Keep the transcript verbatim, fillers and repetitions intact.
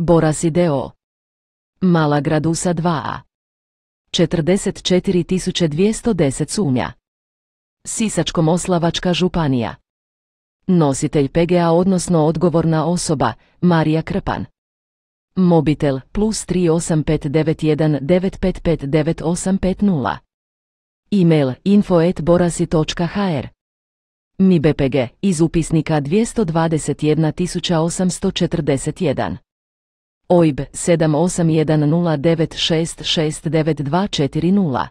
Borasi d o o. Mala Gradusa dva a. četrdeset četiri tisuće dvjesto deset sumnja. Sisačko-moslavačka županija. Nositelj P G A odnosno odgovorna osoba, Marija Krpan. Mobitel plus tri osam pet devet jedan devet pet pet devet osam pet nula. E-mail info at borasi točka h r. M I B P G iz upisnika dvjesto dvadeset jedna tisuća osamsto četrdeset jedan. O I B sedam osam jedan nula devet šest šest devet dva četiri nula.